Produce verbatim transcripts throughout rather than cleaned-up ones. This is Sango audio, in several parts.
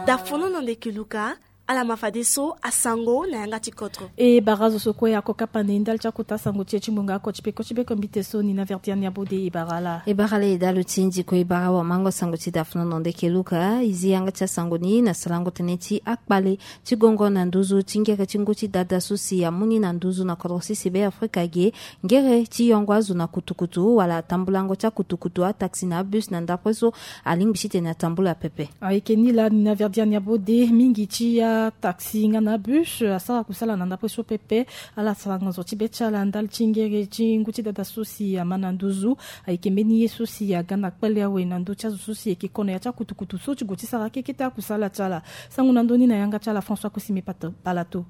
Dafono na ndeke luka. Ala ma fadeso asango na yanga ti kodro. E bara zo so kue ako kapa na e ndali ti akota sango ti e ti ngbonga oko ti peko ti beko mbite so ni na verdiani abode e bara ala. E bara ala e dalo ti ndi kue e bara wamango sango ti dafono na ndeke luka e zi yanga ti asango ni na sarango tënë ti akpale ti gongo na nduzu ti ngere ti ngu ti dada so si amu ni na nduzu na kodro sisi be afrika ge. Ngere ti yongo azo na kutukutu wala tambulango ti akutukutu ataxi na abus na ndapre so alingbi titene atambula pepe. Ayeke ni laa ni na verdiani abode mingi ti ataxi nga na abus asara kusala na ndapre so pepe. Ala saranga zo ti be ti ala ndali ti ngere ti ngu ti dada so si ama na nduzu. Ayeke mbeni ye so si aga na kpale awe na ndö ti azo so si eke kono ya ti akutukutu so ti gue ti sara kekete akusala ti ala. Sango na ndö ni na yanga ti ala françois kusime palato.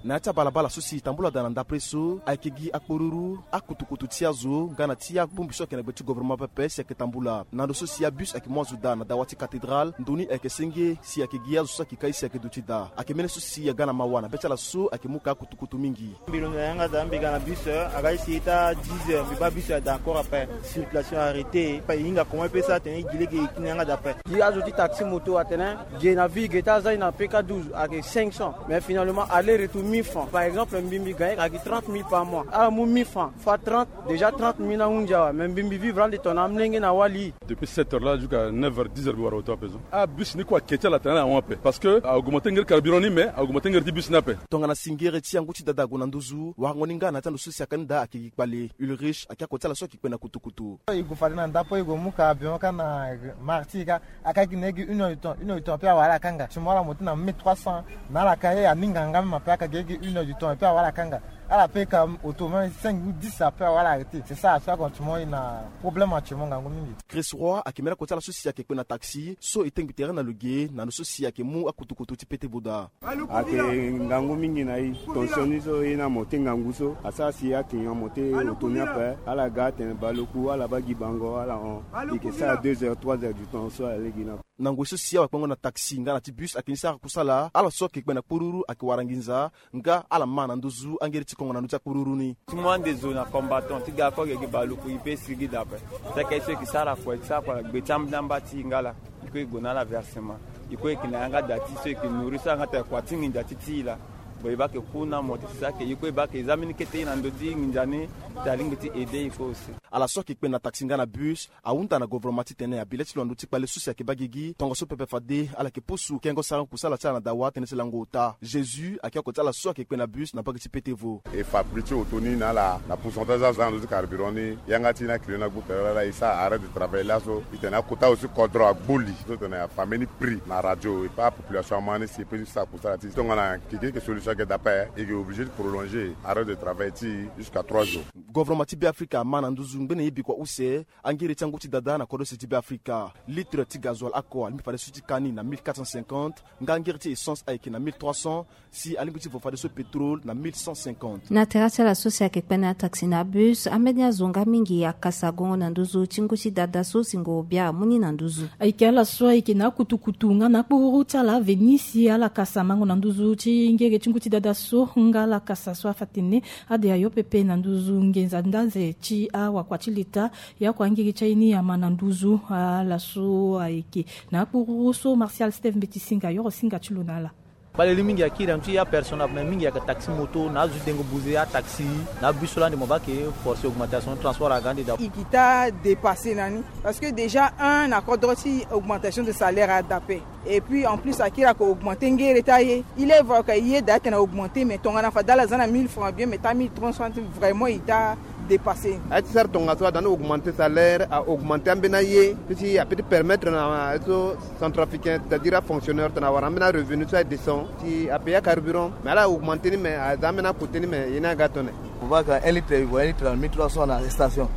Na ya ti abalabala so si tambula daa na ndapre so ayeke gi akporuru akutukutu ti azo nga na ti abongbi so ayeke na gbe ti governement pepe si ayeke tambula na ndo so si abus ayeke mu azo daa na dawa ti cathédrale ndo ni ayeke senge si ayeke gi azo so ayeke kai si ayeke duti daa ayeke mbeni so si aga na mawa na be ti ala so ayeke mu ka akutukutu mingi. Mbi londo na yanga daa mbi ga na bus aga isi ita dix heures mbi baa bus ada encore ape. Circulation arrêté pa e hinga comment e pe sara tene e gi lege e ti na yanga daa ape. Gi azo ti taxi moto atene ge na vie ge ti aza ni na pk douze ayeke cinq cents mais finalement aller retour mille francs par exemple mbi mbi gagne ayeke trente mille par mois ala mu mille francs fois trente. Déjà trente mille na hunzi awe mais mbi mbi vivre ande tongana amolenge na wali. Depuis sept heures là jusqu'à neuf heures dix heures mbi wara oto ape so. Ah bus ni kue ake ti ala tene ala hon ape parce que a augmente ngeri carburant ni mais a augmente ngeri ti bus ni ape. Tongana si ngere ti angu ti dada ague na nduzu warango ni nga na ya ti ando so si aka ni daa ake gi kpale ulrich ake ako ti ala so ake kpe na kutukutu. E gue fade na ndapo e gue mu carburant kâ na martyr kâ. Aka gi na e gi une heure du temps une heure du temps ape awara ala kanga ti mo ala mo ti na mille trois cents. Na ala ka ye aninga nga même ape aka gi e gi une heure du temps ape awara ala kanga. Ala pe ka auto même cinq ou dix ape awara ala arrêté c'est ça ape akonti mo e na problème ati mo ngangu mingi. Chris roi ake mera koti ala so si ake kpe na taxi so e tengbi tere na lo ge na lo so si ake mu akutukutu ti pete boda. Ake ngangu mingi na e. Tension ni so e na mo te ngangu so asara si aklinga mo te oto ni ape. Ala ga atene baleku ala baa gi bango ala hon. E ke sara deux heures trois heures du temps so alege na. Na ngoi so si awakpengo na taxi nga na ti bus ake ni sara kusala ala so ake kpe na kpururu ake wara nginza. Nga ala ma na nduzu angeri ti kongo na ndö ti akpururu ni. Ti mu ande zo na combattant ti ga kue gi baleku e pe sigi daa ape. Seke so e ke sara kue ti sara kue na gbe ti ambeni amba ti e nga laa. E kue e gue na ala versement. E kue e ke na yanga daa ti so e ke nourri so yanga taa kua ti nginza ti ti e laa. Bon e baa ke ku na mo ti saki e kue e baa ke e za mbeni kete e na ndö ti nginza ni. Ti alingbi ti aide e kue aussi. Ala so ake kpe na taxi nga na bus ahunda na govoroma titene abi le ti lo na ndö ti kpale so si ayeke baa gigi tongaso pepe fade ala yeke pusu kengo sarango kusala ti ala na dawa tënë ti lango ota jésus ayeke oko ti ala so ayeke kpe na bus na mbage ti pete vo. E fa prix ti oto ni na ala na pourcentage aza na ndö ti carburant ni yanga ti e na client ni agbu tere laa e sara arrêt de travail laso. E tene akota aussi kodro agbu li so tene afa mbeni prix na radio e pe apopulation ama ni si e pe sara kusala ti e tongana keke yeke solution ayeke daa ape. E yeke obligé ti prolonger arrêt de travail ti e jusqu'à trois jours. Govoroma ti beafrika ama na nduzu ngbene ye bikua use angere ti angu ti dada na kodro use ti beafrika. Litre ti gazoil oko alingbi fadeso ti ka ni na mille quatre cent cinquante. Nga angere ti essence ayeke na mille trois cents. Si alingbi ti vo fadeso pétrole na mille cent cinquante. Na tere ti ala so si ayeke kpe na ataxi na abus ambeni azo nga mingi akasa gongo na nduzu ti ngu ti dada so singo bia amu ni na nduzu. Ayeke ala so ayeke na akutukutu nga na akpururu ti ala veni si ala kasa mango na nduzu ti ngere ti ngu ti dada so nga ala kasa so afa tene ade ayo pepe na nduzu ngenza ndanze ti awakua ti leta. Ya kua ngiri ti aye ni ama na nduzu ala so ayeke na akpururu so martial steve mbeti singa yoro singa ti lo na ala. Kpale li mingi akiri na ndö ti apersonnel ape me mingi ayeke taxi moto na azo ti dengo buze ataxi na abus so laa ande mo baa ke force augmentation transport aga ande daa. E kita dépassé na ni parce que déjà un na kodro ti augmentation de salaire ada ape. Et puis en plus akiri ayeke augmenter ngere ti aye. Il est vrai que ye daa atene augmenter mais tongana fade ala za na mille francs bien mais ta mille trois cents vraiment e ta dépassé. Aye ti sara tongaso ada ni augmenter salaire augmenter ambeni aye ti ti ape ti permettre na aye so centrafricain c'est-à-dire afonctionnaire tongana awara ambeni arevenu so aye descend ti apayer acarburant mais ala augmenter ni mais aza ambeni akote ni mais ye ni aga tone. Mo baa ka un litre e gue un litre na mille trois cents na station.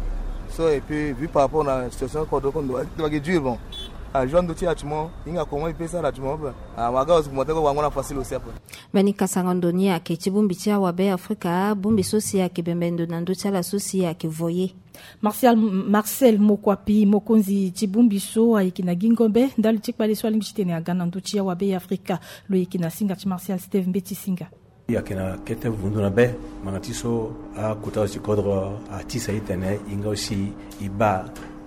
So et puis vu par rapport na situation kodro kondo ayeke dur bon. Ajour ando ti e ati mo hinga comment e pe sara ati mo ape. Awaga aussi mo te ko wango na facile aussi ape. Mbeni kasango ndo ni ayeke ti bongbi ti awabe afrika bongbi so si ayeke bembe ndo na ndö ti ala so si ayeke voye. Martial marcel mokuapi mokonzi ti bongbi so ayeke na gi ngombe ndali ti kpale so alingbi titene aga na ndö ti awabe afrika. Lo yeke na singa ti martial steve mbeti singa. Ayeke na kete vundu na be, ngbanga ti so akota so ti kodro atisa e tene e nga aussi e baa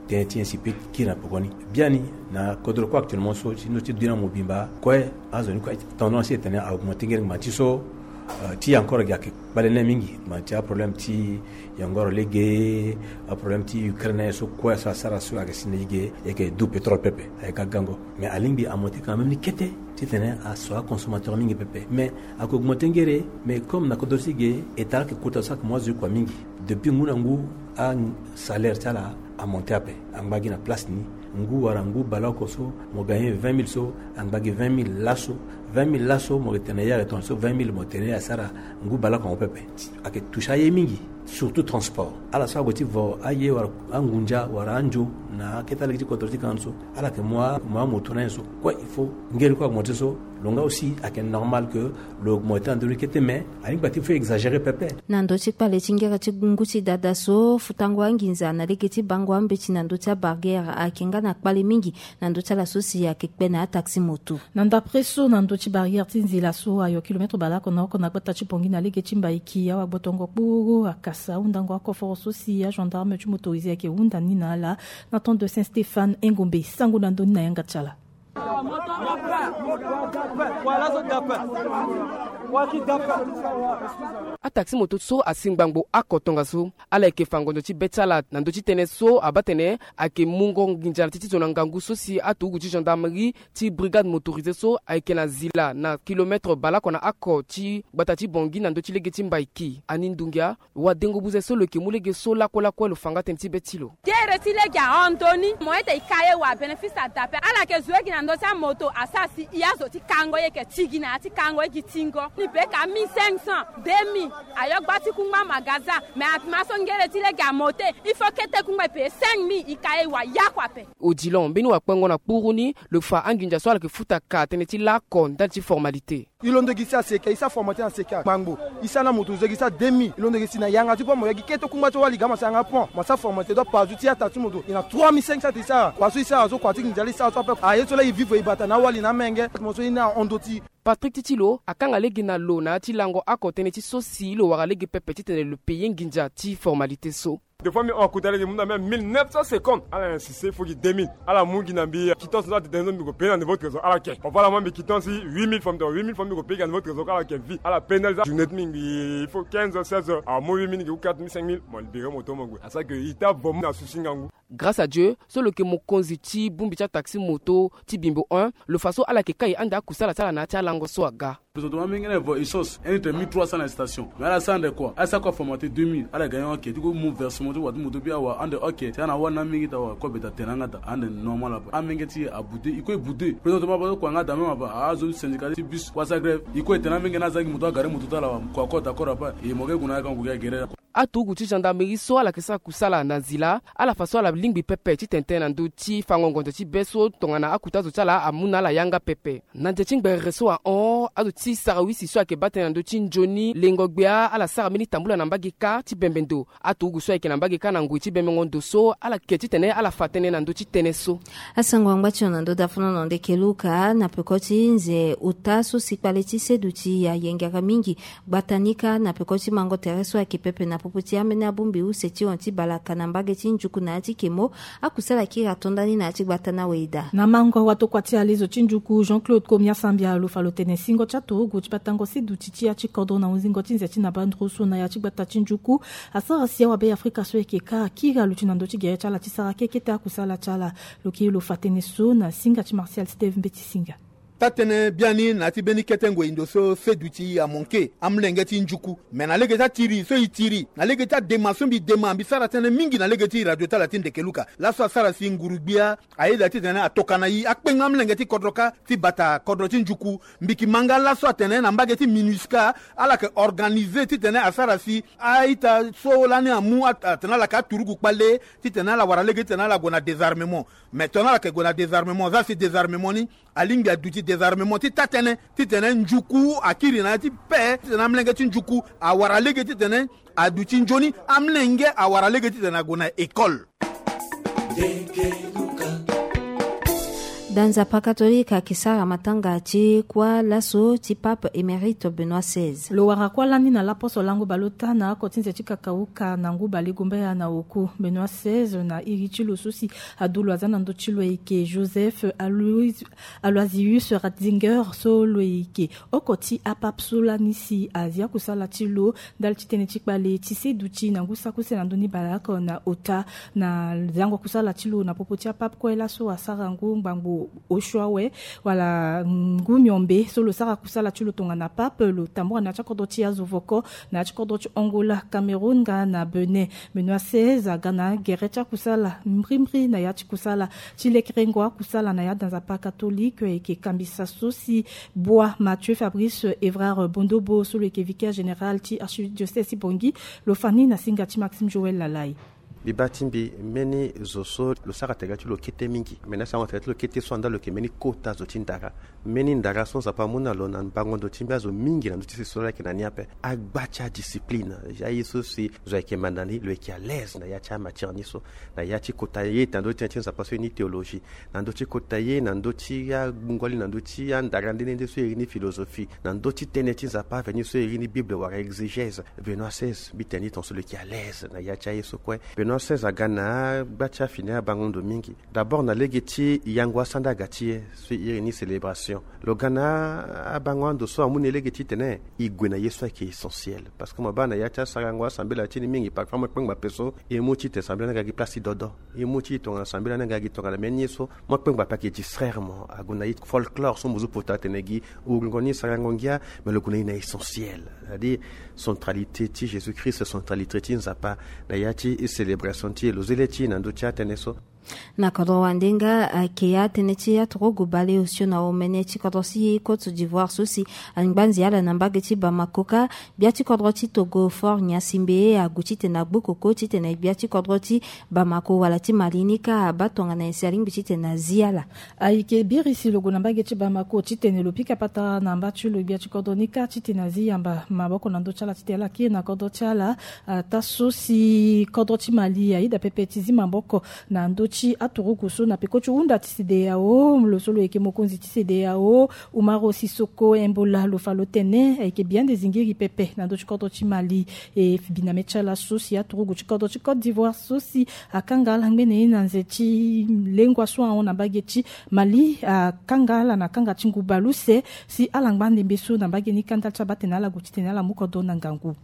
tënë ti nyen si e peut kiri na pekoni. Biani na kodro kue actuellement so ti ndö ti dunia mobimba kue, azo ni kue tendance e tene a augmenter ngere ngbanga ti so. Euh, ti encore gi ayeke kpale ni mingi, ngbanga ti aproblème ti yongoro lege, aproblème ti Ukraine so kue so asara so ayeke si na e ge, e yeke du pétrole pepe, ayeke ga gango. Mais alingbi amonter quand même ni kete titene aso aconsommateur mingi pepe. Mais ayeke augmenter ngere, mais comme na kodro ti ge, État ayeke kota so ayeke mu azo ye kua mingi. Depuis ngu na ngu, asalaire ti ala amonter ape. Angba gi na place ni, ngu wala ngu baleoko so mo gagner vingt mille so, angba gi vingt mille laso. Vingt mille laso mo yeke tene na ye ayeke tongana so vingt mille mo tene asara ngu baleoko na mo pepe. Ayeke toucher aye mingi, surtout transport. Ala so ague ti vo aye wala angunza wala anzo na akete alege ti kodro ti kandu so, ala yeke mu a, mu amoto na nyen so kue, il faut ngere kue augmenter so. Lo nga aussi ayeke normal que lo augmenter na ndö ni kete, mais alingbi ti fo exagérer pepe. Na ndö ti kpale ti ngere ti ngu ti dada so, futango anginza na lege ti bango ambeti na ndö ti abarrière ayeke nga na kpale mingi na ndö ti ala so si ayeke kpe na ataxi moto. Na ndapre so, na ndö ti barrière ti nzila so ayo kilometre baleoko na oko na gbata ti Bangui na lege ti Mbaiki, awagbotongo kpuru akasa ahundango akoforo so si agendarme ti motorisé ayeke hunda ni na ala na temps de Saint Stéphane Engombe. Sango na ndö ni na yanga ti ala. Ataxi moto so asi ngbangbo oko tongaso, ala yeke fa ngonzo ti be ti ala na ndö ti tënë so abaa tene ayeke mungo nginza na ti ti zo na ngangu so si aturugu ti gendarmerie ti brigade motorisée so ayeke na zila na kilometre baleoko na oko ti gbata ti Bangui na ndö ti lege ti Mbaiki. Ani Ndungia, wadengo buze so lo yeke mu lege so lakue lakue lo fa nga tënë ti be ti lo. Gere ti lege ahon ndö ni, mo ete e ka ye wa bénéfice adape. Ala yeke zo ye gi na ndö ti amoto, asara si e azo ti kango ye yeke ti gi na ya ti kango ye gi tingo. Ni be ka mille cinq cents, deux mille. Ayo gba ti kungba magasin, mais atema so ngere ti lege amote, il faut kete kungba e paye cinq mille, e ka ye wa yakua ape. Odilon mbeni wakpengo na kpuru ni, lo fa anginza so ala yeke futa ka tënë ti laoko ndali ti formalité. E londo gi si aseke, e sara formalité na seke ngbangbo. E sara na moto zo gi sara deux mille. E londo gi si na yanga ti pont mo yagi kete kungba ti wali ga mo sara yanga pont, mo sara formalité. Donc pazu ti ata ti moto e na trois mille cinq cents ti e sara. Kua so e sara so, kua ti nginza la e sara so ape. Aye so la e vivre e bata na awali na amenge. Mo so e na hon ndö ti. Patrick Titilo akanga lege na lo na ya ti lango oko tënë ti so si lo wara lege pepe titene lo paye nginza ti formalité so. Des fois mbi hon akuta lege mbi mu na mbi mille neuf cents secondes. Ala insiste, il faut gi deux mille. Ala mu gi na mbi quittance so atene so mbi ko paye na niveau trésor, ala ke. Parfois ala mu mbi quittance huit mille francs, huit mille francs mbi ko paye gi na niveau trésor, ala ke vie. Ala pénaliser journée ti mbi, mbi il faut quinze heures, seize heures. Amu huit mille gi ou quatre mille, cinq mille, mo libérer moto mo gue. Asara ke e ta vo mu na souci ngangu. Grâce à Dieu so lo yeke mokonzi ti bongbi ti ataxi moto ti Bimbo un, lo fa so ala yeke kai ande akusala ti ala na ya ti alango so aga. Présentement amenge na e vo essence, un litre mille trois cents na station. Mais ala sara ande kua, ala sara kua formaté deux mille, ala gagner ok. Ti ko mu versement ti wa ti moto bi awa ande ok. Ti ala na wani amenge ti awa, kobe ta tene na nga daa ande normal ape. Amenge ti e aboude, e ko e boude. Présentement ape so kua nga daa même ape, azo ti syndicat ti bus kua sara grève. E ko e tene amenge na aza gi moto agare moto ti ala awa, kua ko d'accord ape. E mo ke gue na ya kango ke agere. Aturugu ti gendarmerie so ala yeke sara kusala na nzila, ala fa so ala lingbi pepe titene tënë na ndö ti fango ngonzo ti be so tongana akuta zo ti ala amu na ala yanga pepe. Na nze ti ngberere so ahon, azo ti sarawisi so ayeke baa tënë na ndö ti nzoni lengo gbia ala sara mbeni tambula na mbage kâ ti bembe ndo. Aturugu so ayeke na mbage kâ na ngoi ti bembengo ndo so ala ke titene ala fa tënë na ndö ti tënë so. Asango angba ti lo na ndö dafono na ndeke luka na peko ti nze ota so si kpale ti seduti ayengere mingi. Gbata ni kâ na peko ti mango tere so ayeke pepe na popo ti ambeni abongbi use ti hon ti balaka na mbage ti njuku na ya ti kemo. Akusala kiri ato ndani na ya ti gbata na weda. Na mango watokua ti alezo ti njuku Jean-Claude Komia Sambia lo fa lo tene singo ti aturugu ti batango seduti ti ya ti kodro na hunzingo ti nze ti na bandro so na ya ti gbata ti njuku asara si awabe Afrika so ayeke kâ akiri aluti na ndö ti gere ti ala ti sara kekete akusala ti ala. Lo kiri lo fa tënë so na singa ti Martial Steve Mbeti Singa. Taa-tënë biani na ya ti mbeni kete ngoi ndo so seduti amonke amolenge ti njuku. Me na lege ti atiri so e tiri, na lege ti adema so mbi dema, mbi sara tënë mingi na lege ti radio ti ala ti ndeke luka. Laso asara si nguru-gbia ayeda titene atoka na e akpengo amolenge ti kodro kâ ti bata kodro ti njuku. Mbi yeke ma nga laso atene na mbage ti MINUSCA ala yeke organiser titene asara si a-ita so lani amu at-, atene ala yeke aturugu kpale titene ala wara lege titene ala gue na désarmement. Mais tongana ala yeke gue na désarmement, za si désarmement ni alingbi aduti désarmement ti taa-tënë, titene njuku akiri na ya ti paix, titene amolenge ti njuku awara lege titene aduti nzoni, amolenge awara lege titene ague na école. Da Nzapa katolike ayeke sara matanga ti kuâ laso ti Pape émérite Benoît seize. Lo wara kuâ lani na laposo lango baleota na oko ti nze ti kakauka na ngu bale gumbaya na oku. Benoît seize na iri ti lo so si adu lo aza na ndö ti lo ayeke Joseph Alois- Aloysius Ratzinger, so lo yeke oko ti apape so lani si azia kusala ti lo ndali ti tënë ti kpale ti seduti na ngu saki use na ndö ni baleoko na ota. Na zango kusala ti lo na popo ti apape kue laso asara ngu ngbangbo osio awe wala ngu miombe so lo sara kusala ti lo tongana pape, lo tambura na ya ti akodro ti azo voko, na ya ti kodro ti Angola, Cameroun nga na Benin. Benoît seize aga na agere ti akusala mbrimbri na ya ti kusala ti lekerengo akusala na ya da Nzapa katolike, ayeke kambisa so si Bwa Mathieu Fabrice Evrard Bondobo, so lo yeke vicaire général ti archidiocèse ti Bangui, lo fa ni na singa ti Maxime Joël Lalai. Mbi baa ti mbi mbeni zo so lo sara tere ti lo kete mingi. Me na sara tere ti lo kete so anda lo yeke mbeni kota zo ti ndara. Mbeni ndara so Nzapa amu na lo na bango ndo ti mbi azo mingi na ndö ti sese so ala yeke na ni ape. Agba ti adiscipline. Aye so si zo ayeke manda ni, lo yeke à l'aise na ya ti amatière ni so. Na ya ti kota ye na ndö ti tënë ti Nzapa so e ni théologie, na ndö ti kota ye na ndö ti angoli, na ndö ti andara nde nde nde so e iri ni philosophie, na ndö ti tënë ti Nzapa aveni so e iri ni Bible wala exégèse. Benoît seize, mbi tene ni tongaso lo yeke à l'aise na ya ti aye so kue. Benoît seize aga na agba ti afini abango ndo mingi. D'abord na lege ti yango asandaga ti e so e iri ni célébration. Lo ga na abango ando so amu na e lege titene e gue na ye so ayeke essentiel. Parce que mo baa na ya ti asarango asambela ti ni mingi, parfois mo kpengba ape so e mu titene sambela ni aga gi place ti dodo. E mu ti tongana sambela ni aga gi tongana mbeni ye so mo kpengba ape ayeke distraire mo. Ague na ye folklore so mo zo pota atene gi wuringo ni sarango ngia. Mais lo gue na ye na essentiel, c'est-à-dire centralité ti Jésus-Christ, centralité ti Nzapa na ya ti célébration ti e. Lo zia le ti e na ndö ti atënë so. Na kodro wande nga ayeke atënë ti aturugu bale osio na omene ti kodro ti Côte d'Ivoire so si angbanzi ala na mbage ti Bamako kâ. Gbia ti kodro ti Togo, Faure Gnassingbé, ague titene agbokoko titene gbia ti kodro ti Bamako wala ti Mali ni kâ abaa tongana nyen si alingbi titene azi ala. Ayeke biri si lo gue na mbage ti Bamako titene lo pika patara na mba ti lo gbia ti kodro ni kâ titene azi yamba maboko na ndö ti ala titene ala kiri na kodro ti ala. Ataa so si kodro ti Mali ayeda pepe ti zi maboko na ndö ti aturugu so na peko ti hunda ti CEDEAO. Lo so lo yeke mokonzi ti CEDEAO, Umaro Sissoco Embola, lo fa lo tene ayeke bia nde zingiri pepe na ndö ti kodro ti Mali. E biname ti ala so si aturugu ti kodro ti Côte d'Ivoire so si akanga ala ngbene ye na nze ti lengua so ahon na mbage ti Mali, akanga ala na kanga ti ngu baleuse si ala ngba ndembe so na mbage ni kâ ndali ti abaa tene ala gue titene ala mu kodro na ngangu.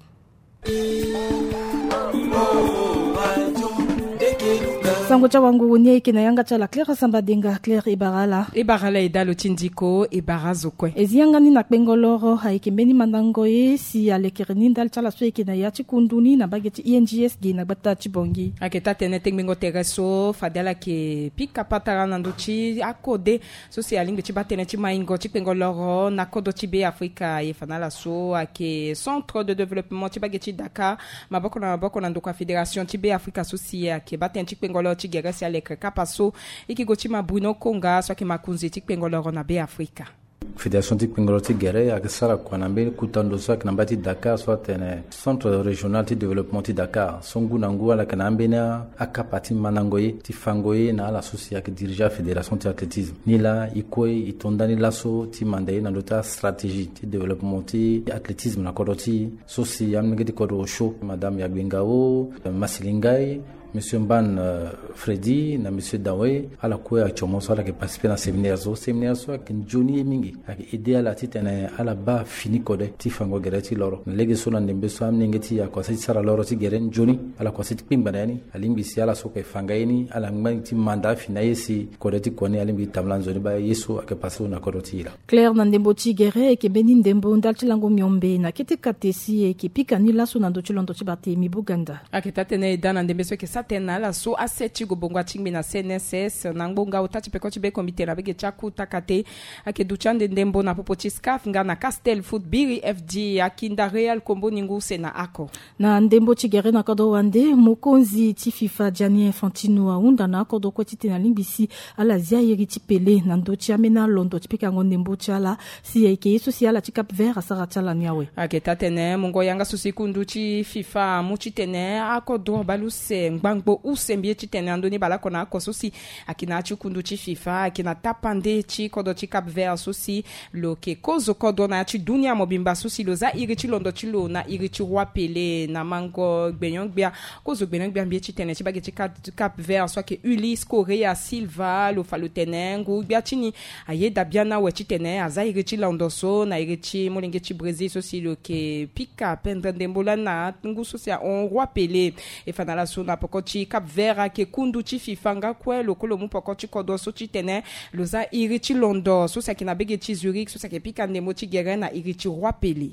Sango ti awanguru ni ayeke na yanga ti ala Claire Sambadenga. Claire, e bara ala. E bara ala e dalo ti ndiko, e bara azo kue. E zi yanga ni na kpengo loro, ayeke mbeni mandango ye si alekere ni ndali ti ala so ayeke na ya ti kundu ni na mbage ti I N G S ge na gbata ti Bangui. Ayeke taa tene tengbengo tere so fade ala yeke pika patara na ndö ti akode so si alingbi ti baa tënë ti maingo ti kpengo loro na kodro ti Be Afrika. Aye fa na ala so ayeke centre de développement ti mbage ti Dakar, maboko na maboko na ndokua fédération ti Be Afrika so si ayeke baa tënë ti kpengo loro ti gere si alekere kapa so. E yeke gue ti ma Bruno Konga so ayeke makonzi ti kpengo loro na Be Afrika. Fédération ti kpengo loro ti gere ayeke sara kua na mbeni kuta ndo so ayeke na mba ti Dakar so atene centre régional ti développement ti Dakar so ngu na ngu ala yeke na ambeni akapa ti mandango ye ti fango ye na ala so si ayeke dirige afédération ti athlétisme. Ni laa e kue e to ndani laso ti manda ye na ndö ti astratégie ti développement ti athlétisme na kodro ti e so si amolenge ti kodro osio, madame Yagbenga o, Masilingai, monsieur Mban, euh, Freddy na monsieur Dawe, ala kue atio mo so ala yeke participer na séminaire so. Séminaire so ayeke nzoni ye mingi, ayeke aider ala titene ala baa fini kode ti fango gere ti loro. Na lege so na ndembe so amolenge ti e akua sara ti sara loro ti gere nzoni, ala kua sara ti kpengba na ya ni. Alingbi si ala so ayeke fa nga ye ni ala ngba ti manda afini aye si kode ti kua ni alingbi ti tambula nzoni baa ye so ayeke pase so na kodro ti e laa. Claire, na ndembo ti gere ayeke mbeni ndembo ndali ti lango miombe na kete kate si ayeke pika ni laso na ndö ti londo ti Barthélemy Boganda. Ayeke taa tënë e daa na ndembe so ayeke sara tënë na ala so ase ti gobongo atingbi na C N S S na ngbonga ota ti peko ti be komite na mbage ti akuta kate ayeke duti ande ndembo na popo ti SCAF nga na Castel Foot Biri F D, Akinda Real Kombo Ningu use na ako. Na ndembo ti gere na kodro wande, mokonzi ti FIFA Gianni Infantino ahunda na akodro kue titene alingbi si ala zia iri ti pele na ndö ti ambeni alondo ti pikango ndembo ti ala si ayeke ye so si ala ti Cap Vert asara ti ala ni awe. Ayeke taa tënë mungo yanga so si kundu ti FIFA amu titene akodro baleuse ngba angbo use mbi ye titene andoni baleoko na oko so si ayeke na ya ti kundu ti fifa ayeke na tapande ti kodro ti Cap Vert so si lo yeke kozo kodro na ya ti dunia mobimba so si lo za iri ti londo ti lo na iri ti roi Pelé na mango gbenyo-gbia. Kozo gbenyo-gbia mbi ye titene ti bage ti Cap Vert so ayeke Ulysse Correia Silva lo fa lo tene ngu-gbia ti ni ayeda biani awe titene aza iri ti londo so na iri ti molenge ti Brésil so si lo yeke pika pendere ndembo lani na ngu so si ahon roi Pelé. E fa na ala so na poko ti Cap Vert ayeke kundu ti fifa nga kue lo kue lo mu poko ti kodro so titene lo za iri ti londo so si ayeke na bege ti Zurich so si ayeke pika ndembo ti gere na iri ti roi Pelé.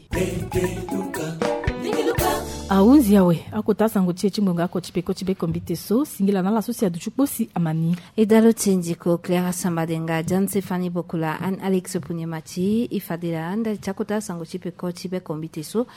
Ahunzi awe akota sango ti e ti ngonga oko ti peko ti bekombite so singila na ala so si aduti kpo si ama ni. E dalo ti ndiko Clara Sambadenga, John Stéphanie Bokola, Anne Alex Punyemati. E fadela ndali ti akota sango ti peko ti bekombite so.